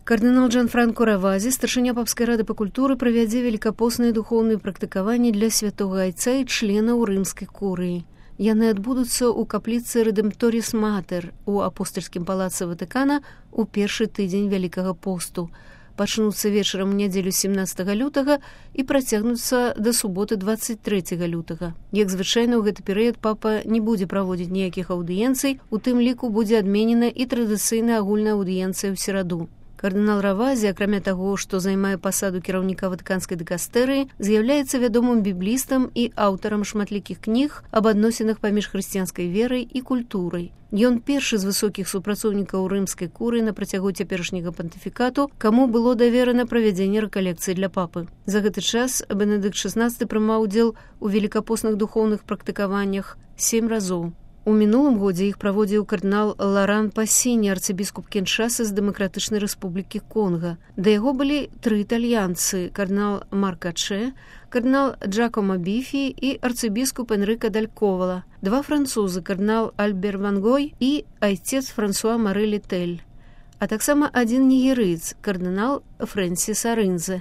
Кардынал Джанфранко Равазі, старшыня папскай рады па культуры, правядзе велікапосныя духоўныя практыкаванні для святога айца і членаў рымскай курыі. Яны адбудуцца ў капліцы Рэдэмпторіс Матэр у апостальскім палацы Ватыкана ў першы тыдзень Вялікага посту. Пачнуцца вечарам у нядзелю 17 лютага і працягнуцца да суботы 23 лютага. Як звычайна, ў гэты перыяд папа не будзе праводзіць ніякіх аўдыенцый, у тым ліку будзе адменена і традыцыйная агульная аўдыенцыя ў сераду. Кардынал Равазі, акрамя таго, што займае пасаду кіраўніка ватыканскай дыкастэрыі, з'яўляецца вядомым біблістам і аўтарам шматлікіх кніг аб адносінах паміж хрысціянскай верай і культурай. Ён першы з высокіх супрацоўнікаў рымскай курыі на працягу цяперашняга пантыфікату, каму было даверана правядзенне рэкалекцыі для папы. За гэты час Бенедыкт XVI прымаў удзел у велікапосных духоўных практыкаваннях 7 разоў. У мінулым годзе іх праводзіў кардынал Ларан Пасіні, арцыбіскуп Кіншасы з Дэмакратычнай Рэспублікі Конга. Да яго былі 3 італьянцы: кардынал Марка Чэ, кардынал Джакома Біфі і арцыбіскуп Энрыка Даль Ковала, 2 французы: кардынал Альбер Вангой і айцец Франсуа Мары Летэль, а таксама 1 нігерыец, кардынал Фрэнсіс Арынзе.